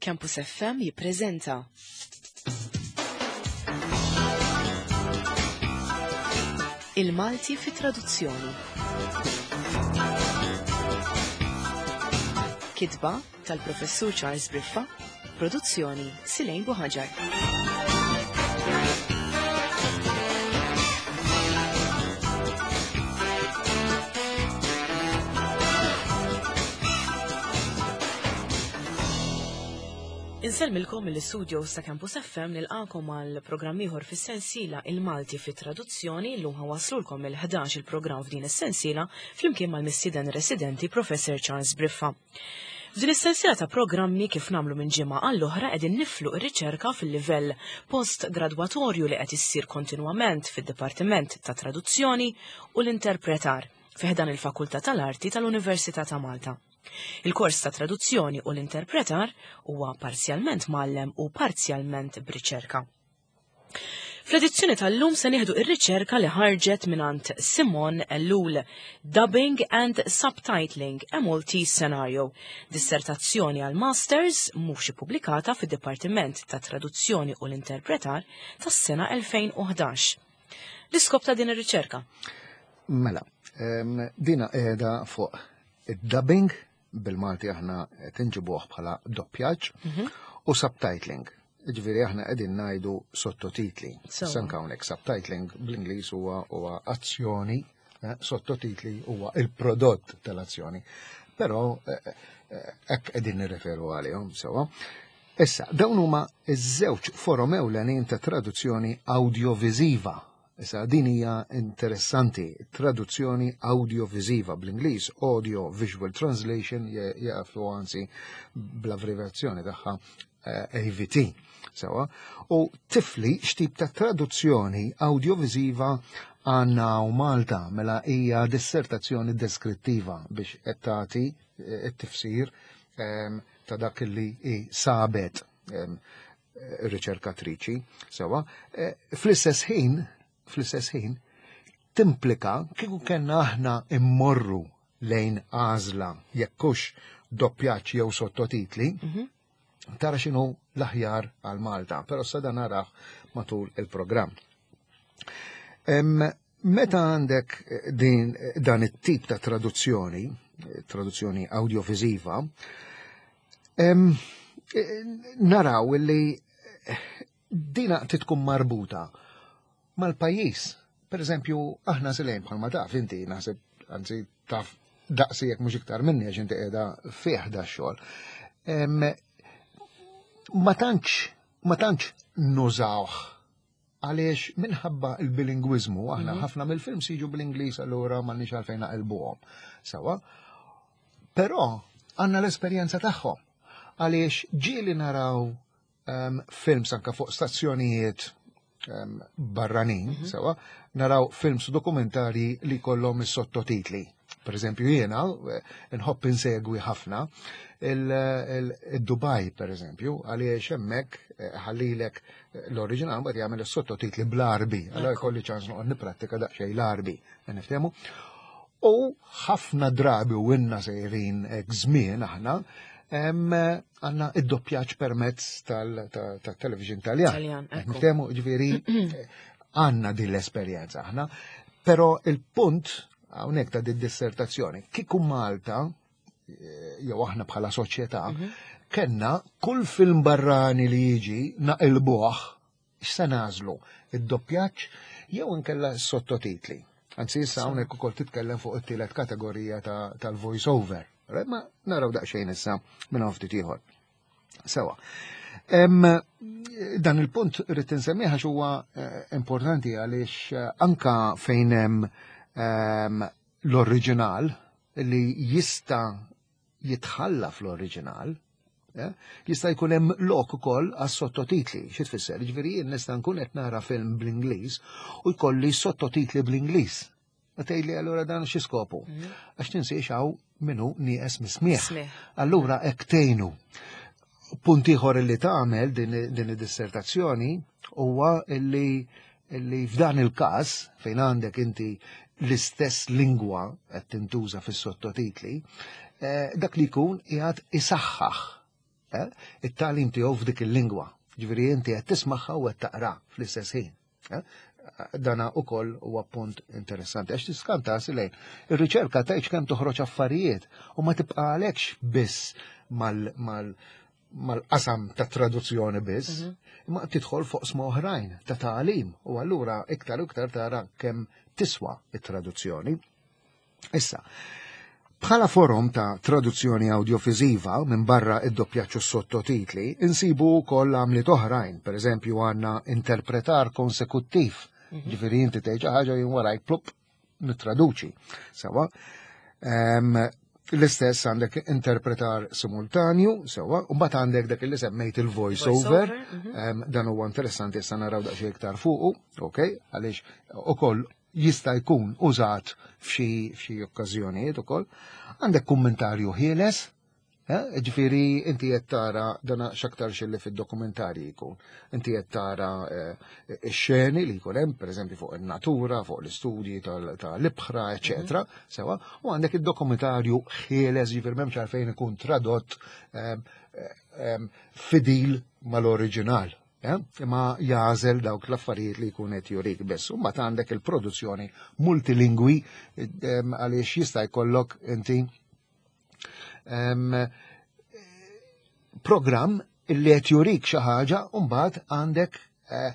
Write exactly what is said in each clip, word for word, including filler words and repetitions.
Campus F M jippreżenta Il-Malti fi traduzzjoni. Kitba tal-Professur Charles Briffa, produzzjoni Silejn Buħaġar. Insellmilkom mill-istudio sa' Campus F M nilqakom għal programm ieħor fis-sensiela Il-Malti fi traduzzjoni. Llum ħawaslulkom il-ħdax il-programm f'din is-sensiela flimkien mal-mistieden residenti Professor Charles Briffa. F'din is-sensiela ta' programmi kif nagħmlu minn ġimgħa għall-oħra qegħdin niflu r-riċerka fil-livell post-gradwatorju li qed issir kontinwament fid-Dipartiment ta' Traduzzjoni u l-Interpretar fi ħdan il-Fakultà tal-Arti tal-Università ta' Malta. Il-kors ta' traduzzjoni u l-interpretar huwa parzjalment mgħallem u parzjalment b'riċerka. Fl-edizzjoni tal-lum se nieħdu ir-riċerka li ħarġet mingħand Simon Ellul, Dubbing and Subtitling, a Maltese Scenario, dissertazzjoni għal Masters mhux ippubblikata fid-Dipartiment ta' Traduzzjoni u l-Interpretar tas-sena elfejn u ħdax. L-iskop ta' din ir-riċerka? Mela, em, dina qiegħda fuq id-dubbing, bil-Malti aħna qed inġibuh bħala doppjaġġ, Mhm. u subtitling. Ġifieri aħna qegħdin ngħidu sottotitli. So. Sanka hawnhekk subtitling bl-Ingliż huwa, huwa azzjoni, eh, sottotitli huwa il-prodott tal-azzjoni. Però, eh, eh, hekk qegħdin nirreferu għalihom sewwa. Issa, dawn huma ż-żewġ forom ewlenin ta' traduzzjoni awdjoviżiva. Issa, din hija interessanti, traduzzjoni awdjoviżiva bl-Ingliż, Audio Visual Translation, je-, jafu anzi bl-abbreviazzjoni tagħha, eh, A V T. Sewa, u tifli x'tip ta' traduzzjoni awdjoviżiva għandna u Malta, mela hija dissertazzjoni deskrittiva biex qed tagħti, eh, it-tifsir, ehm, ta' dak li hi sabet, ehm, riċerkatriċi. Sewa, eh, fl-istess ħin, fl-istess ħin, timplika kieku kellna aħna immorru lejn għażla jekkux doppjaġġ jew sottotitli, Mhm. tara x'inhu l-aħjar għal Malta, però sa dan naraħ matul il-programm. Em, meta għandek din, dan it-tip ta' traduzzjoni, traduzzjoni awdjoviżiva, em, naraw li dina titkun marbuta mal-pajjiż. Per eżempju, aħna Silejn bħalma taf, inti naħseb, anzi taf daqsi jekk mhux iktar minni għax inti qiegħda fih da xogħol. Em, ma tantx, ma tantx nużawh għaliex minħabba il-bilingwiżmu, aħna Mhm. ħafna mill-films jiġu bl-Ingliż, allura m'għandniex għalfejn naqilbuhom. Sawa? Però għandna l-esperjenza tagħhom għaliex ġieli naraw, em, films anka fuq stazzjonijiet, em, barranin, Mhm. sawa, naraw films dokumentari li kollhom is-sottotitli. Per eżempju, jiena, eh, nħobb insegwi ħafna il-, il-, il-Dubai, per eżempju, għaliex hemmhekk, eh, ħallilek l-oriġinal mbagħad jagħmel is-sottotitli bl-Arbi. Allora Ekku. jkolli ċans noqgħod nipprattika daqsxejn l-Arbi, niftehmu. U ħafna drabi u inna sejrin hekk żmien aħna, em, għandna id-doppjaġġ permezz tal-, ta-, tat-television Taljan. Taljan, Qed ekku. niftehmu, ġifieri, għandna din l-esperjenza aħna, però il-punt hawnhekk ta' din dissertazzjoni, kieku Malta, eh, jew aħna bħala soċjetà, Mhm. kellna kull film barrani li jiġi naqilbuh, x'se nagħżlu? Id-doppjaġġ jew inkella s-sottotitli. Anzi, issa hawnhekk ukoll titkellem fuq it-tielet kategorija ta-, tal-voice over. Ma naraw daqsxejn issa minn hawn ftit ieħor. Sewa. Em, dan il-punt rrid insemmih għax huwa, eh, importanti għaliex, eh, anka fejn hemm, ehm, l-oriġinal li jista' jitħalla fl-oriġinal, eh, jista' jkun hemm lok ukoll għas-sottotitli. Xi tfisser? Jiġifieri jien nista' nkun qed nara film bl-Ingliż u jkolli sottotitli bl-Ingliż. U tgħidli allura dan xi skopu? Mhm. Għax tinsiex hawn minnu nieqes mismieħ. Smieħ. Allura hekk tgħinu. Punt ieħor li tagħmel din, din id-dissertazzjoni huwa illi, illi f'dan il-każ fejn għandek inti l-istess lingwa qed tintuża fis-sottotitli, eh, dak li jkun qiegħed isaħħaħ eh, it-tagħlim tiegħu f'dik il-lingwa. Ġifieri inti qed tismagħha u qed taqra fl-istess ħin. Eh? Dana ukoll huwa punt interessanti għax tiskanta lejn. Ir-riċerka tgħidx kemm toħroġ affarijiet u ma tibqalekx biss mal mal mal-qasam ta' traduzzjoni biss, mhm. imma tidħol fuq sma oħrajn ta' tagħlim u allura iktar u iktar tara kemm tiswa it-traduzzjoni. Issa, bħala forom ta' traduzzjoni awdjoviżiva minn barra id-doppjaġġ u sottotitli, insibu wkoll għamliet oħrajn, per eżempju għandna interpretar konsekuttiv, mhm. ġifieri inti tgħid ħaġa jien warajk plup nittraduċi. Sewa. L-istess għandek interpretar simultanju, sewa, u mbagħad għandek dak li semmejt il-voice over, mhm. dan huwa interessanti, issa naraw daqsxejn iktar fuqu, ok, għaliex ukoll jista' jkun użat f'xi f'xi okkażjonijiet ukoll. Għandek kummentarju ħieles, eh, ġifieri inti qed tara dana x'aktar li fid-dokumentarji jkun. Inti qed tara eh, ix-xeni li jkun hemm, pereżempju fuq in-natura, fuq l-istudji tal-ibħra, eċetera, mhm. sewa, u għandek id-dokumentarju ħieles, ġifieri m'hemmx għalfejn ikun tradott eh, fidil mal-oriġinal. Imma jagħżel dawk l-affarijiet li jkun qed jurik biss. U mbagħad għandek il-produzzjoni multilingwi, għaliex jista' jkollok inti programm illi qed jurik xi ħaġa u mbagħad għandek eh,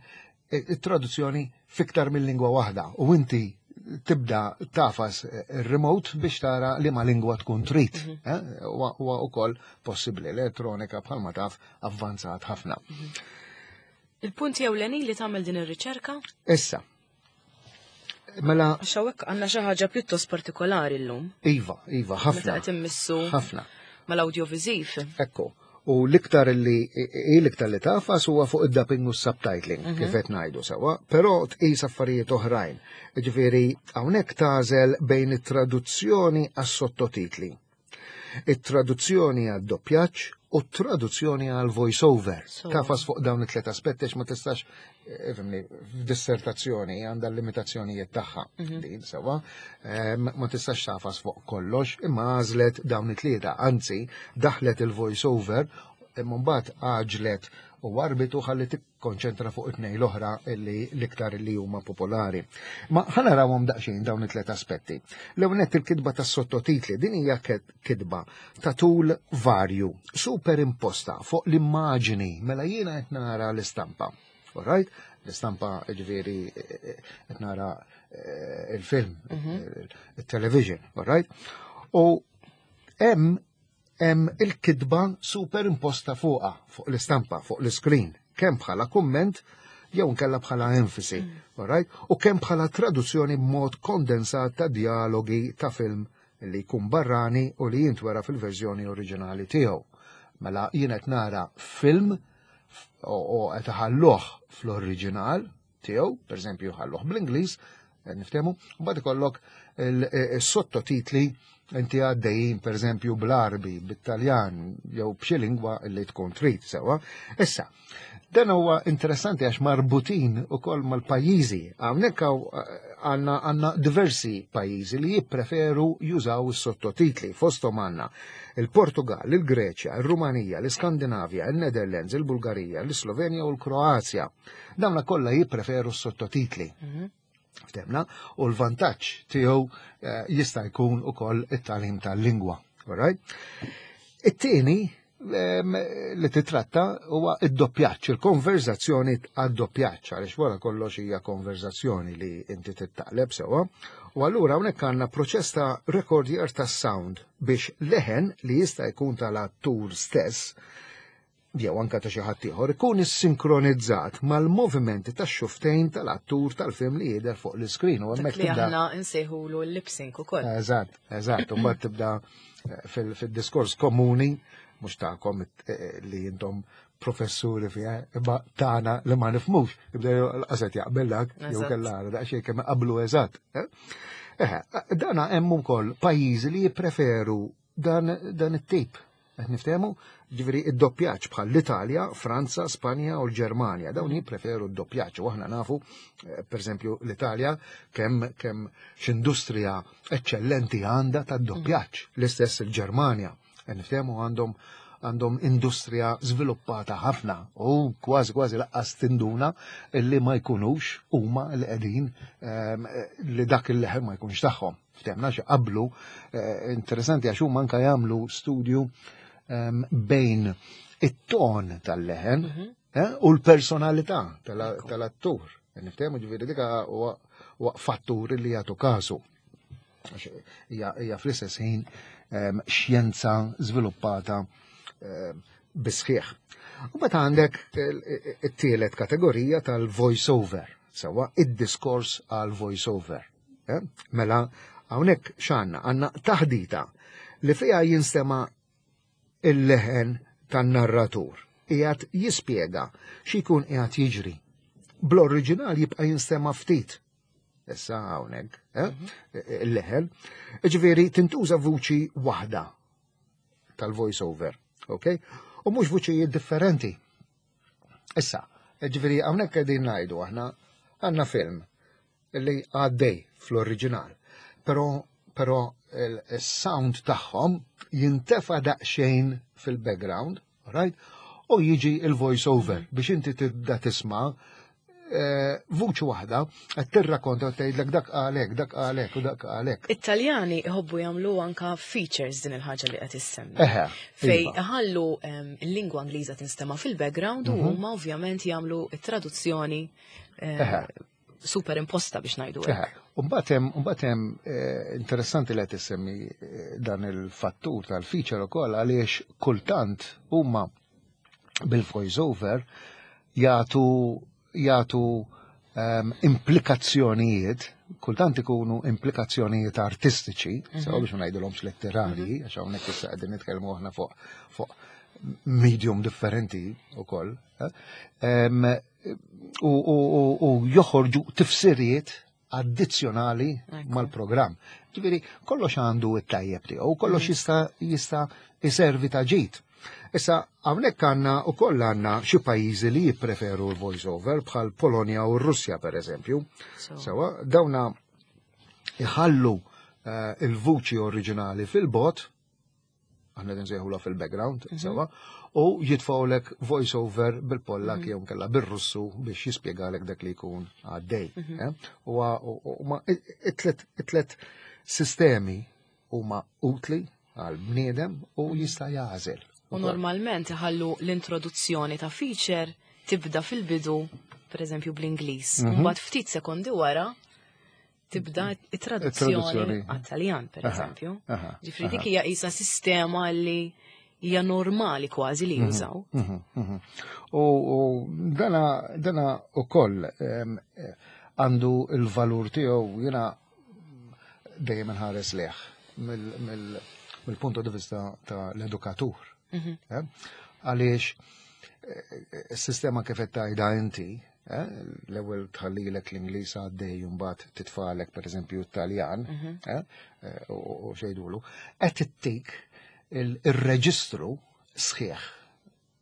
it-traduzzjoni fiktar mill-lingwa waħda u inti tibda tagħfas il-remote biex tara li ma lingwa tkun trid. Mhm. Eh, huwa ukoll possibbli, l-elettronika bħalma taf avvanzat ħafna. Mhm. Il-punti ewlenin li tagħmel din ir-riċerka? Issa. Mela. Għax hawnhekk għandna xi ħaġa pjuttost partikolari llum. Iva, iva, ħafna. Meta qed immissu. Ħafna. Mal-awdjoviżiv. Ekku. U l-iktar li l-iktar li tagħfas huwa fuq id-dubbing u subtitling, mhm. kif qed ngħidu sewwa, però tqis affarijiet oħrajn. Ġifieri hawnhekk tagħżel bejn it-traduzzjoni għas-sottotitli, it-traduzzjoni għad-doppjaġġ u t-traduzzjoni għal voice-over. Tagħfas fuq dawn it-tlet aspetti ma tistax, eh, ifhimni, f'dissertazzjoni għandha l-limitazzjonijiet tagħha. Mhm. Din sewwa, ma tistax tagħfas fuq kollox, imma għażlet dawn it-tlieta, anzi daħlet il-voice-over imma mbagħad għaġlet u warbitu ħalli tikkonċentra fuq it-tnejn l-oħra li l-iktar li huma popolari. Ma ħa narawhom daqsxejn dawn it-tlet aspetti. L-ewwel il-kitba tas-sottotitli, din hija kitba ta' tul varju, superimposta fuq l-immaġini, mela jiena qed nara l-istampa. Alright? L-istampa, ġifieri qed nara eh, il-film, mhm. il-television, alright? U hemm hemm il-kitba superimposta fuqha, fuq l-istampa, fuq l-screen, kemm bħala kumment jew nkella bħala enfasi, mm. alright? U kemm bħala traduzzjoni b'mod kondensat ta' dialogi ta' film li jkun barrani u li jintwera fil-verżjoni oriġinali tiegħu. Mela jien qed nara film u qed iħalluh fl-oriġinal tiegħu, pereżempju ħalluh bl-Ingliż, niftehmu, u mbagħad ikollok il-sottotitli inti għaddejjin pereżempju bl-Arbi, bit-Taljan jew b'xi lingwa li tkun trid sewwa. Issa, dan huwa interessanti għax marbutin ukoll mal-pajjiżi. Hawnhekk għandna għandna diversi pajjiżi li jippreferu jużaw is-sottotitli. Fosthom għandna il-Portugal, il-Greċja, il-Rumanija, l-Iskandinavja, il-Netherlands, il-Bulgarija, l-Slovenja u l-Kroazja. Dawna kollha jippreferu s-sottotitli. Mhm. Ftehmna, u l-vantaġġ tiegħu eh, jista' jkun ukoll it-tagħlim tal-lingwa. Alright? It-tieni li titratta huwa id-doppjaġġ, il-konverzazzjoni għad-doppjaġġ, għaliex wara kollox hija konverzazzjoni li inti tittaqleb sewwa. U allura hawnhekk għandna proċess ta' rekordjar ta' sound biex leħen li jista' jkun tal-attur stess jew anka ta' xi ħadd ieħor ikun issinkronizzaat mal-movimenti tax-xufftejn tal-attur tal-film li jidher fuq l-iskrin u hemmhekk li aħna nsejħulu l-lip sync ukoll. Eżatt, eżatt, u mbagħad tibda eh, fil-diskors komuni mhux tagħkom eh, li intom professuri fiha, imma tagħna li ma nifhmux, jibda l-qaset jaqbel dak, jew kellha daqsxejn kemm qablu eżatt. Eh? Eħe, dana hemm ukoll pajjiżi li jippreferu dan dan it-tip. Qed niftehmu? Ġifieri id-doppjaġġ bħal l-Italja, Franza, Spanja u l-Ġermanja. Dawn jippreferu d-doppjaġġ u aħna nafu, eh, pereżempju l-Italja kemm kemm x'industrija eċċellenti għandha tad-doppjaġġ. L-istess il-Ġermanja. Qed niftehmu, għandhom għandhom industrija żviluppata ħafna u kważi kważi lanqas tinduna li ma jkunux huma li qegħdin ehm, li dak il-leħen ma jkunx tagħhom. Ftehmna xi qablu, eh, interessanti għax huma anke jagħmlu studju ehm, bejn it-ton tal-leħen Mhm. eh, u l-personalità tal-attur. Niftehmu, ġifieri dik huwa huwa fattur li jagħtu kasu. Għax Hija hija fl-istess ħin ehm, xjenza żviluppata ehm, bisħieħ. U mbagħad għandek il- it-tielet kategorija tal-voice-over, sewwa id-diskors għal voice-over. Eh? Mela, hawnhekk x'għandna? Għandna taħdita li fiha jinstema' il-leħen tan-narratur. Qiegħed jispjega xi jkun qiegħed jiġri. Bl-oriġinal jibqa' jinstema' ftit. Issa hawnhekk, eh? Il-leħen. Ġifieri tintuża vuċi waħda tal-voice-over, ok? U mhux vuċijiet differenti. Issa, ġifieri hawnhekk qegħdin ngħidu aħna għandna film li għaddej fl-oriġinal, però però il-sound tagħhom jintefa daqsxejn fil-background, right? U jiġi il-voice over biex inti tibda tisma' eh, vuċi waħda qed tirrakkonta u tgħidlek dak għalek, dak għalek u dak għalek. It-Taljani iħobbu jagħmlu anka features din il-ħaġa li qed issemmi. Eħe, Fej iva. iħallu em, il-lingwa Ingliża tinstema' fil-background u Mhm. huma ovvjament jagħmlu it-traduzzjoni eh, Eħe. super imposta biex ngħidu Eħe. hekk. Umbagħad hemm umbagħad hemm eh, interessanti li qed issemmi eh, dan il-fattur tal-feature ukoll għaliex kultant huma bil-voice over jagħtu jagħtu um, implikazzjonijiet, kultant ikunu implikazzjonijiet artistiċi, mm -hmm. sew biex ma ngħidulhomx letterali, għax hawnhekk issa qegħdin nitkellmu aħna fuq fuq medium differenti ukoll, eh? Em, u, u, u, u joħorġu tifsiriet addizzjonali Ekku. mal-programm. Ġifieri, kollox għandu it-tajjeb tiegħu, kollox jista' jista' iservi ta' ġid. Issa, hawnhekk għandna ukoll għandna xi pajjiżi li jippreferu l-voice over bħal Polonja u r-Russja per eżempju. So, Sewwa, dawna iħallu eh, il-vuċi oriġinali fil-bogħod, aħna nsejħula fil-background, Mhm. sewwa, u jitfawlek voice over bil-Pollak jew kella bil-Russu biex jispjegalek dak li jkun għaddej. Mhm. eh? U u- u ma it-tlet it-tlet sistemi huma utli għal bniedem u jista' jagħżel. U normalment iħallu l-introduzzjoni ta' feature tibda fil-bidu, per eżempju bl-Ingliż. Mhm. Mbagħad ftit sekondi wara tibda it-traduzzjoni It-traduzzjoni. għat-Taljan, per Aha, eżempju. aha, Ġifieri dik hija qisha sistema li hija normali kważi li jużaw. Mhm, mhm. U u dana dana ukoll em, eh, għandu il-valur tiegħu. Jiena dejjem nħares leh mill-punto di vista ta' l-edukatur. Mhm. eh? Għaliex eh, is-sistema kif qed tgħidha inti, eh, l-ewwel tħallilek l-Ingliż għaddej u mbagħad titfalek pereżempju t-Taljan, Mhm. eh, eh, u u xejdulu, qed ittik il- il-reġistru sħiħ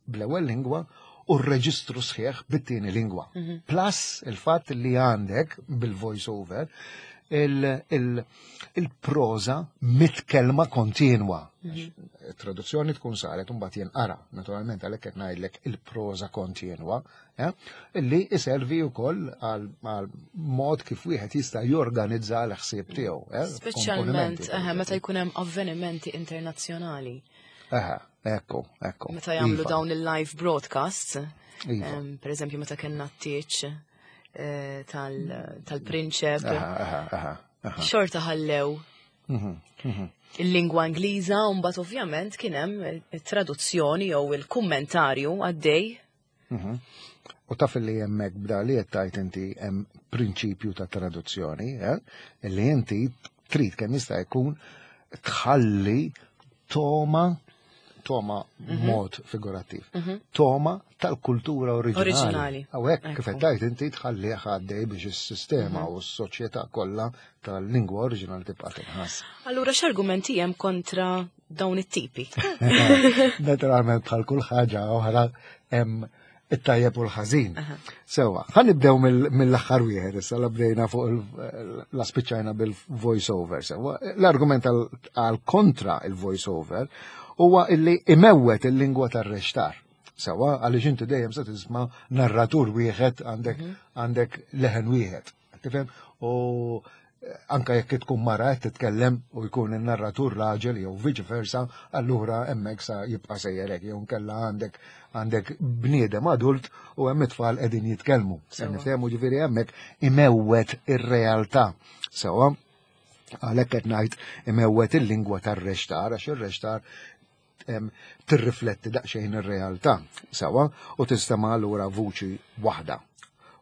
bl-ewwel lingwa u r-reġistru sħiħ bit-tieni lingwa. Mhm. Plus il-fatt li għandek bil-voice over il-proza mitkelma kontinwa. Traduzzjoni tkun saret un mbagħad jinqara, naturalment għalhekk qed ngħidlek il-proza kontinwa, eh, illi iservi wkoll għal għal mod kif wieħed jista' jorganizza l-ħsieb tiegħu. eh, Speċjalment komponimenti, eħe, per meta eżempju. jkun hemm avvenimenti internazzjonali. Eħe, ekku, ekku. Meta jagħmlu Iva, dawn il-live broadcasts, Iva. em, per eżempju meta kellna t-tieġ eh, tal- tal-prinċep, Eħe, eħe, eħe, eħe. xorta ħallew Mhm, mhm. il-lingwa Ingliża u mbagħad ovvjament kien hemm it-traduzzjoni jew il-kummentarju għaddej. Mhm. U taf li hemmhekk bda li qed tgħid inti hemm prinċipju ta' traduzzjoni, eh? Li inti trid kemm jista' jkun tħalli toma toma mod figurattiv. Toma tal-kultura oriġinali. Oriġinali. Hawnhekk kif Ekku. qed tgħid inti tħallih għaddej biex is-sistema u s-soċjetà kollha tal-lingwa oriġinali tibqa' tinħass. Allura x'argumenti hemm kontra dawn it-tipi? Naturalment bħal kull ħaġa oħra hemm it-tajjeb u l-ħażin. Sewwa, ħa nibdew mill- mill-aħħar wieħed, issa la bdejna fuq il- la spiċċajna bil-voice over. Sewwa, l-argument għal għal kontra il-voice over huwa illi imewwet il-lingwa tar-reċtar. Sewwa, għaliex inti dejjem se tisma' narratur wieħed, għandek mhm. għandek leħen wieħed. Tifhem? U eh, anka jekk tkun mara qed titkellem u jkun in-narratur raġel jew viċi versa, allura hemmhekk sa jibqa' sejjer hekk, jew nkella għandek għandek bniedem adult u hemm it-tfal qegħdin jitkellmu. Se niftehmu, ġifieri hemmhekk imewwet ir-realtà. Sewwa, għalhekk qed ngħid imewwet il-lingwa tar-reċtar, għax ir-reċtar tirrifletti daqsxejn ir-realtà, sewwa, u tistema' allura vuċi waħda.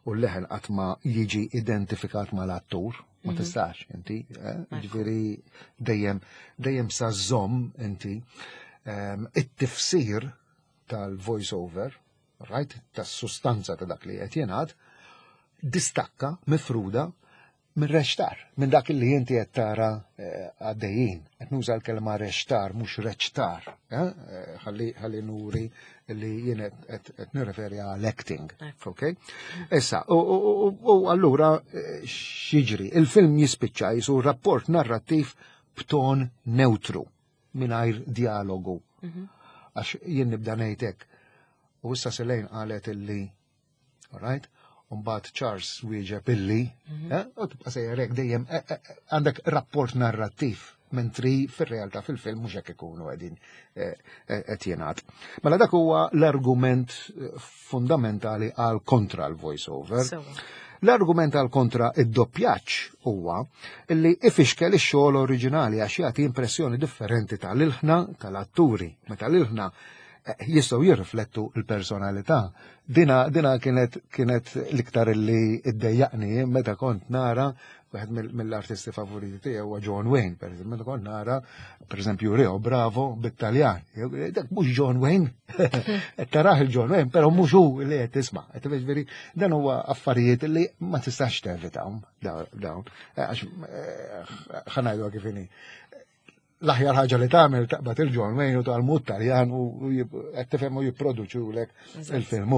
U l-leħen qatt ma jiġi identifikat mal-attur, ma mhm. tistax inti, eh? Ġifieri dejjem dejjem sa żomm inti it-tifsir tal-voice over, right, tas-sustanza ta' dak li qed jingħad, distakka, mifruda minn reċtar, minn dak li inti qed tara eh, għaddejjin. Qed nuża l-kelma reċtar, mhux reċtar, eh? eh, ħalli ħalli nuri li jien qed nirreferi għal acting. Ok? Issa, u allura x'jiġri? Il-film jispiċċa jisu rapport narrattiv b'ton neutru, mingħajr dialogu. Mhm. Għax jien nibda ngħidlek. U issa Selejn qalet illi, alright? Umbagħad Charles wieġeb illi, mhm. eh, u tibqa' sejjer hekk dejjem eh, eh, għandek rapport narrattiv, mentri fir-realtà fil-film mhux hekk ikunu qegħdin qed jingħad. Mela dak huwa l-argument fundamentali għal kontra l-voice over. L-argument għal kontra id-doppjaġġ huwa li ifixkel ix-xogħol oriġinali għax jagħti impressjoni differenti tal-ilħna tal-atturi. Meta l-ilħna jistgħu jirriflettu l-personalità. Dina, dina kienet, kienet l-iktar li iddejjaqni meta kont nara wieħed mill-artisti favoriti tiegħi huwa John Wayne, per eżempju, meta kont nara, per eżempju, Rio Bravo bit-Taljan. Dak mhux John Wayne. Tarah il-John Wayne, però mhux hu li qed tisma'. Qed ġifieri dan huwa affarijiet li ma tistax tevitahom dawn. Għax eh, ħa ngħidu kif inhi, l-aħjar ħaġa li tagħmel taqbad il-John Wayne u tgħallmu Taljan u qed tifhem u jipproduċulek il-film.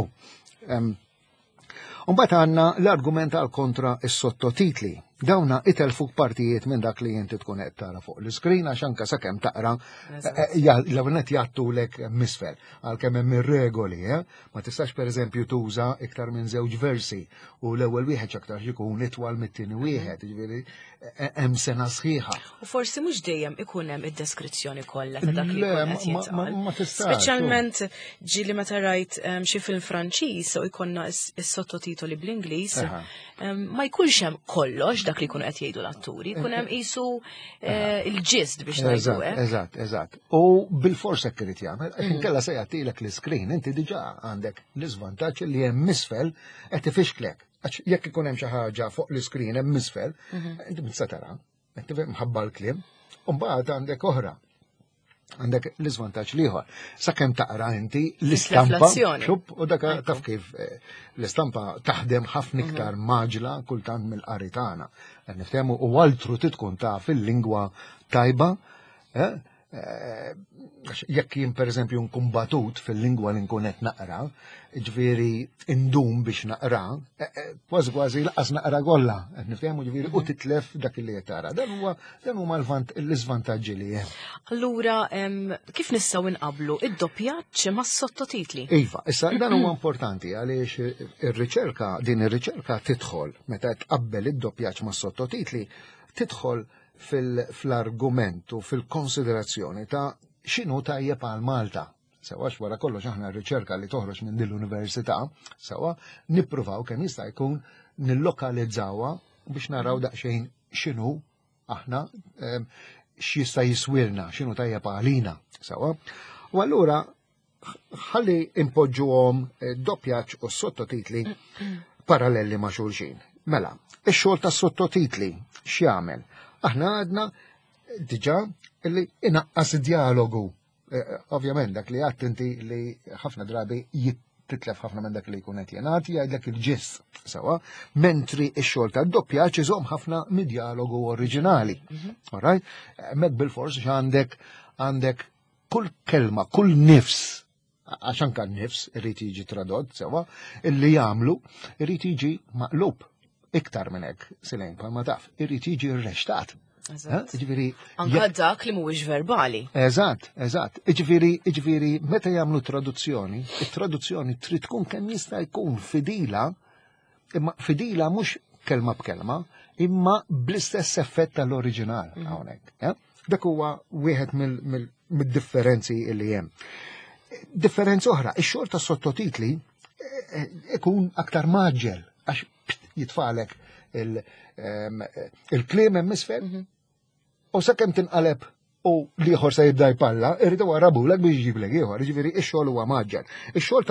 Mbagħad għandna l-argument għal kontra is-sottotitli. Dawna itelfuk partijiet minn dak li inti tkun qed tara fuq l-iskrin, għax anke sakemm taqra eh, eh, l-ewwel jagħtulek misfel għalkemm hemm ir-regoli, eh? Ma tistax, pereżempju, tuża iktar minn żewġ versi u l-ewwel wieħed aktar jkun itwal mit-tieni mhm. wieħed, ġifieri hemm sena sħiħa. U forsi mhux dejjem ikun hemm id-deskrizzjoni kollha ta' dak li jkun qed jintqal. Speċjalment ġieli meta rajt xi film Franċiż u jkollna is-sottotitoli bl-Ingliż, ma jkunx hemm kollox dak li jkunu qed jgħidu l-atturi, jkun hemm qisu eh, il-gist biex ngħidu hekk. Eżatt, eżatt. U bil-fors hekk irid jagħmel, għax mm. inkella se jagħtilek l-iskrin, inti diġà għandek l-iżvantaġġ li hemm misfel qed ifixklek. Għax jekk ikun hemm xi ħaġa fuq l-iskrin hemm misfel, mhm. inti tista' tara, inti mħabba l-kliem, u mbagħad għandek oħra. Għandek l-iżvantaġġ l-ieħor. Sakemm taqra inti l-istampa, xup, u dak taf kif eh, l-istampa taħdem ħafna mhm. iktar maġla kultant mill-qari tagħna. Qed niftehmu, u altru tkun taf il-lingwa tajba, eh, eh, jekk jien, pereżempju, nkun batut fil-lingwa li nkun qed naqra, ġifieri indum biex naqra, eh, eh, kważi kważi laqas naqra kollha, qed niftehmu, ġifieri u titlef dak li qed tara. Dan huwa dan huma l-iżvantaġġi li hemm. Allura, kif nistgħu nqablu id-doppjaġġ mas-sottotitli? Iva, issa dan huwa importanti għaliex ir-riċerka, din ir-riċerka tidħol meta tqabbel id-doppjaġġ mas-sottotitli, tidħol fil-argument u fil-konsiderazzjoni ta' x'inhu tajjeb għal Malta. Sewwa, wara kollox aħna r-riċerka li toħroġ minn din l-università, sewwa, nippruvaw kemm jista' jkun nillokalizzawha biex naraw daqsxejn x'inhu aħna, x'jista' jiswilna, x'inhu tajjeb għalina. Sewwa. U allura ħalli impoġġuhom eh, doppjaġġ u sottotitli paralleli ma' xulxin. Mela, ix-xogħol tas sottotitli x'jagħmel? Aħna għadna diġà li inaqqas dialogu. Eh, ovvjament dak li għedt inti li ħafna drabi titlef ħafna minn dak li jkun qed jingħad, jgħidlek il-gist sewwa, mentri x-xogħol tad-doppjaġġ iżomm ħafna mid-dialogu oriġinali. Mhm. Alright? Hemmhekk bil-fors għandek għandek kull kelma, kull nifs, għax anka n-nifs irid jiġi tradott sewwa, illi jagħmlu irid jiġi maqlub. Iktar minn hekk, Silejn, bħalma taf, irid jiġi rreċtat. Eżatt. Eh? Ġifieri, Anka dak li mhuwiex verbali. Eżatt, eżatt. Ġifieri, ġifieri, meta jagħmlu traduzzjoni, it-traduzzjoni trid tkun kemm jista' jkun fidila, imma fidila mhux kelma b'kelma, imma bl-istess effett tal-oriġinal hawnhekk. eh? Dak huwa wieħed mill- mill- mid-differenzi li hemm. Differenza oħra, ix-xogħol ta' sottotitli eh, eh, ikun aktar mgħaġġel għax pst, jitfagħlek il- em, il-kliem hemm isfel u sakemm tinqaleb u l-ieħor se jibda jpalla, irridu warrabulek biex jġiblek ieħor, jiġifieri ix-xogħol huwa mgħaġġel. Ix-xogħol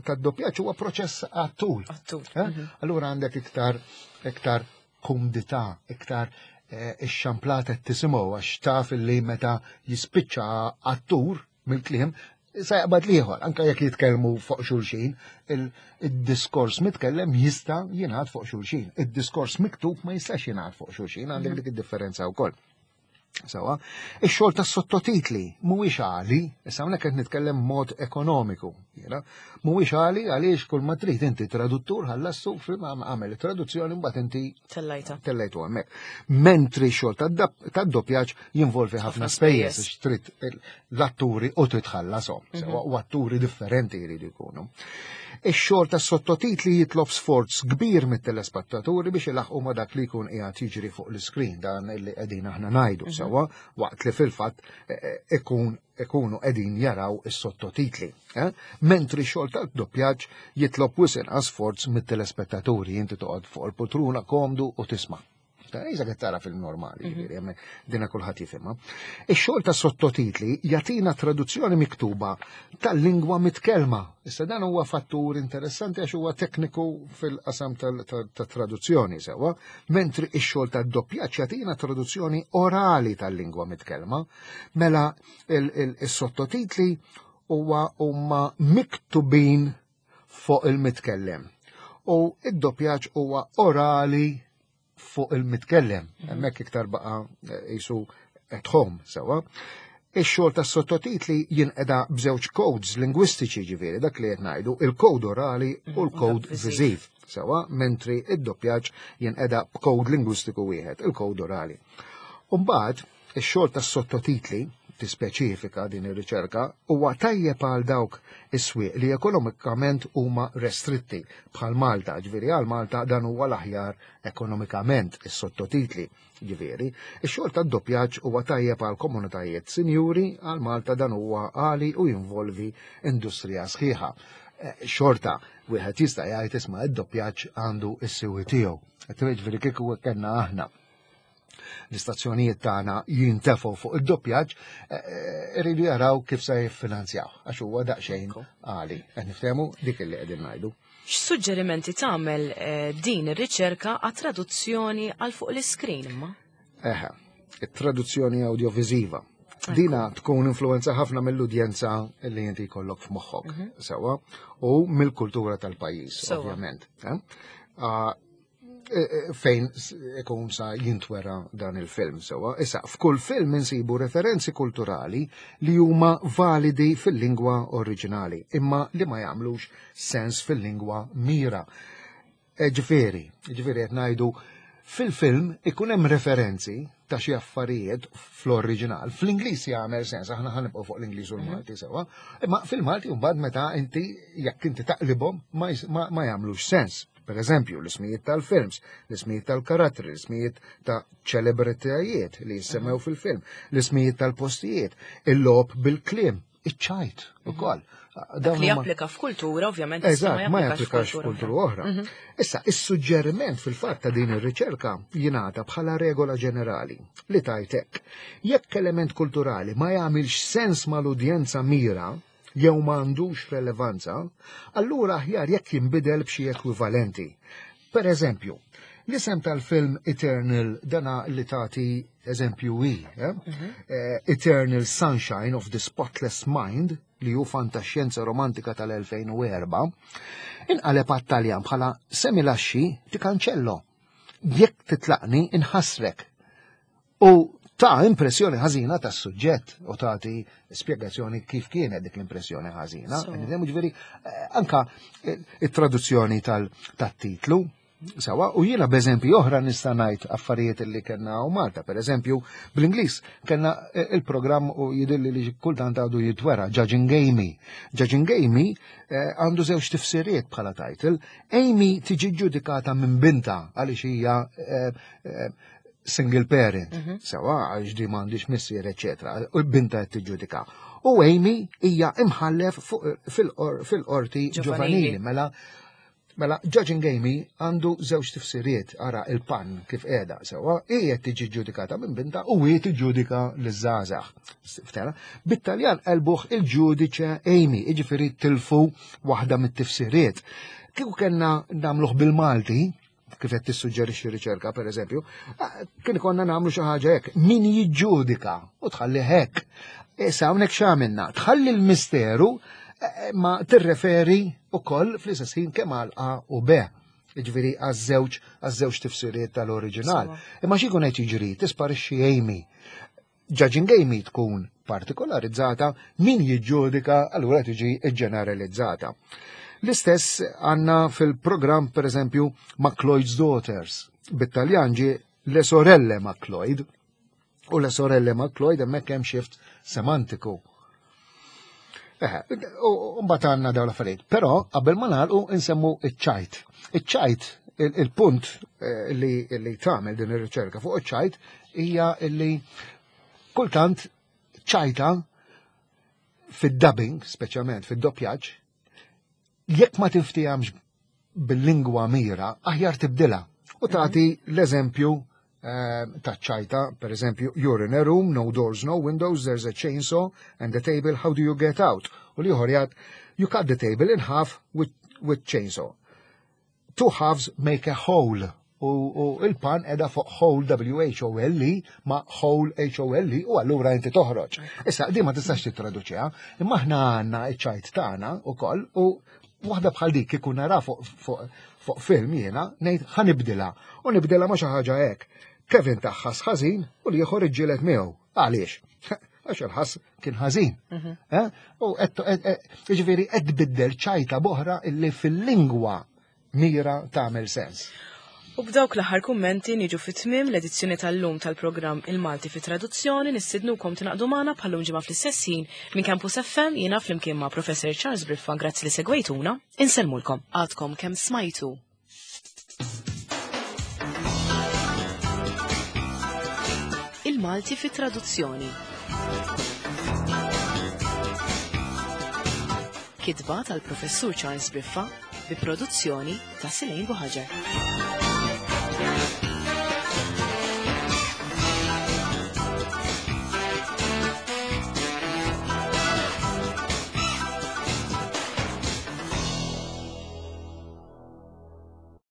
tad-doppjaġġ huwa proċess għat-tul. Għat-tul. Eh? Allura għandek iktar iktar kumdità, iktar eh, ix-xamplata tisimgħu għax taf li meta jispiċċa attur mill-kliem sa jaqbad l-ieħor, anka jekk jitkellmu fuq xulxin, il- il-diskors mitkellem jista' jingħad fuq xulxin. Id-diskors miktub ma jistax jingħad fuq xulxin, għandek dik id-differenza wkoll. Sewwa, ix-xogħol tas sottotitli mhuwiex għali, issa hawnhekk qed nitkellem mod ekonomiku, jiena, mhuwiex għali għaliex kull ma trid inti traduttur ħallassu film għamel traduzzjoni, mbagħad inti Tellajta. tellejtu hemmhekk. Mentri x-xogħol tad-doppjaġġ jinvolvi ħafna spejjeż, għax trid l-atturi u trid tħallasom, sewwa, u atturi differenti jridu jkunu. Ix-xogħol tas sottotitli jitlob sforz kbir mit-telespettaturi biex ilaħqu ma' dak li jkun qiegħed jiġri fuq l-iskrin, dan illi qegħdin aħna ngħidu sewwa, waqt li fil-fatt eh, eh, ikun ikunu qegħdin jaraw is-sottotitli. Eh? Mentri xogħol tad-doppjaġġ jitlob wisq inqas sforz mit-telespettaturi, inti toqgħod fuq il-poltruna komdu u tisma'. Iżda qed tara film normali, ġifieri, hemmhekk dina kulħadd jifhimha. Ix-xogħol ta' sottotitli jagħtina traduzzjoni miktuba tal-lingwa mitkellma. Issa dan huwa fattur interessanti għax huwa tekniku fil-qasam tal-traduzzjoni sewwa, mentri ix-xogħol tad-doppjaġġ jagħtina traduzzjoni orali tal-lingwa mitkellma. Mela il-sottotitli huwa huma miktubin fuq il-mitkellem. U id-doppjaġġ huwa orali fuq il-mitkellem. Hemmhekk iktar baqa jisu at home, sewwa. Ix-xogħol tas sottotitli jinqeda b'żewġ codes lingwistiċi, ġifieri dak li qed ngħidu, il-kod orali u l-kod viżiv. Sewwa, mentri id-doppjaġġ jinqeda b'kod lingwistiku wieħed, il-kod orali. Umbagħad, ix-xogħol tas-sottotitli, tispeċifika din ir-riċerka, huwa tajjeb għal dawk is-swieq li ekonomikament huma restritti bħal Malta, ġifieri għal Malta dan huwa l-aħjar ekonomikament is-sottotitli. Ġifieri, ix-xogħol tad-doppjaġġ huwa tajjeb għal komunitajiet sinjuri, għal Malta dan huwa għali u jinvolvi industrija sħiħa. Eh, xorta, wieħed jista' jgħid, isma', id-doppjaġġ għandu s-siwi tiegħu. Ġifieri kieku kellna aħna l-istazzjonijiet tagħna jintefgħu fuq id-doppjaġġ, eh, eh, iridu jaraw kif se jiffinanzjaw għax huwa daqsxejn għali. Qed niftehmu dik li qegħdin ngħidu. X'suġġerimenti tagħmel eh, din ir-riċerka għat-traduzzjoni għal fuq l-iskrin imma? Eħe, it-traduzzjoni audiovisiva. Dina tkun influenza ħafna mill-udjenza li inti jkollok f'moħħok, sewwa, u mill-kultura tal-pajjiż, Sewwa. ovvjament. eh? Ah, e- e- fejn s- ikun sa jintwera dan il-film sewwa. Issa, f'kull film insibu referenzi kulturali li huma validi fil-lingwa oriġinali, imma li ma jagħmlux sens fil-lingwa mira. E, Ġifieri, ġifieri qed ngħidu fil-film ikun hemm referenzi ta' xi affarijiet fl-oriġinal. Fl-Ingliż jagħmel sens, aħna ħa nibqgħu fuq l-Ingliż u l-Malti sewwa, imma fil-Malti mbagħad meta inti jekk inti taqlibhom ma, jis- ma, ma jagħmlux sens. Per eżempju, l-ismijiet tal-films, l-ismijiet tal-karattri, l-ismijiet ta' ċelebritajiet li jissemmew fil-film, l-ismijiet tal-postijiet, il-logħob bil-kliem, iċ-ċajt ukoll. Dak li japplika f'kultura, ovvjament, issa Eżatt, ma japplikax f'kultura oħra. Issa, is-suġġeriment fil-fatt ta' din ir-riċerka jingħata bħala regola ġenerali li tajtek. Jekk element kulturali ma jagħmilx sens mal-udjenza mira jew ma għandux relevanza, allura aħjar jekk jinbidel b'xi ekwivalenti. Per eżempju, l-isem tal-film Eternal, dana li tagħti eżempju i, eh? Eh, Eternal Sunshine of the Spotless Mind, li hu fantaxjenza romantika tal-elfejn u erbgħa, inqaleb għat-Taljan bħala "Se mi lasci ti cancello". Jekk titlaqni inħassrek. U ta' impressjoni ħażina tas suġġett u tagħti spjegazzjoni kif kienet dik l-impressjoni ħażina. So. Nifhemu, ġifieri eh, anka eh, it-traduzzjoni tal-titlu Sawa, u jiena b'eżempju oħra nista' ngħid affarijiet li kellna u Malta. Per eżempju, bl-Ingliż kellna il-programm u jidilli li kultant għadu jitwera, Judging Amy. Judging Amy eh, għandu żewġ tifsiriet bħala title. Amy tiġi ġudikata minn binta għaliex hija eh, eh, single parent, mm -hmm. sawa, għax di m'għandix missier, eccetera. U binta qed tiġġudika. U Amy hija imħallef fil-qorti ġovanili, mela Mela, Judging Amy għandu żewġ tifsiriet, ara il-pun kif qiegħda sewwa, hi qed tiġi ġudikata minn binta u hi tiġġudika liż-żgħażagħ. Ftera, bit-Taljan qalbuh il giudice Amy, jiġifieri tilfu waħda mit-tifsiriet. Kieku kellna nagħmluh bil-Malti, kif qed tissuġġerixxi riċerka pereżempju, kien ikonna nagħmlu xi ħaġa hekk, min jiġġudika u tħalli hekk. Issa hawnhekk x'għamilna? Tħalli l-misteru ma tirreferi ukoll fl-istess ħin kemm għal A u B. Jiġifieri għaż-żewġ għaż-żewġ tifsiriet tal-oriġinal. Imma xi jkun qed jiġri tisparixxi Amy. Judging Amy tkun partikolarizzata, min jiġġudika allura tiġi ġeneralizzata. L-istess għandna fil-programm per eżempju McLeod's Daughters. Bit-Taljan ġie Le Sorelle McLeod. U Le Sorelle McLeod hemmhekk hemm shift semantiku. U mbagħad għandna dawn l-affarijiet. Però qabel ma nagħlqu insemmu iċ-ċajt. Iċ-ċajt, il-punt li li tagħmel din ir-riċerka fuq iċ-ċajt hija li kultant ċajta fid-dubbing, speċjalment fid-doppjaġġ, jekk ma tinftihemx bil-lingwa mira, aħjar tibdilha. U tagħti l-eżempju ta' ċajta, per eżempju, you're in a room, no doors, no windows, there's a chainsaw and a table, how do you get out? U l-ieħor jgħid, you cut the table in half with, with chainsaw. Two halves make a whole. U, u il-pun qiegħda fuq whole W H O L E ma hole H O L E u allura inti toħroġ. Issa, di ma tistax titraduċiha, imma aħna għandna iċ-ċajt tagħna ukoll u waħda bħal dik kieku nara fuq fu, fu film jiena ngħid ħa nibdilha u nibdilha ma xi ħaġa hekk. Kevin tah ħass ħażin u l-ieħor iġġieled miegħu. Għaliex? Għax il-ħass kien ħażin. Eh? U jiġifieri qed tbiddel ċajta b'oħra illi fil-lingwa mira tagħmel sens. U b'dawk l-aħħar kummenti niġu fit-tmiem l-edizzjoni tal-lum tal-programm Il-Malti fi Traduzzjoni. Nistednukom tingħaqdu magħna bħal-lum ġimgħa fl-istess ħin minn Campus F M. Jiena flimkien ma' Professor Charles Briffa, grazzi li segwejtuna, insellmulkom. Għadkom kemm smajtu Il-Malti fi Traduzzjoni. Kitba tal-Professur Charles Briffa bi produzzjoni ta' Silejn Buħaġar.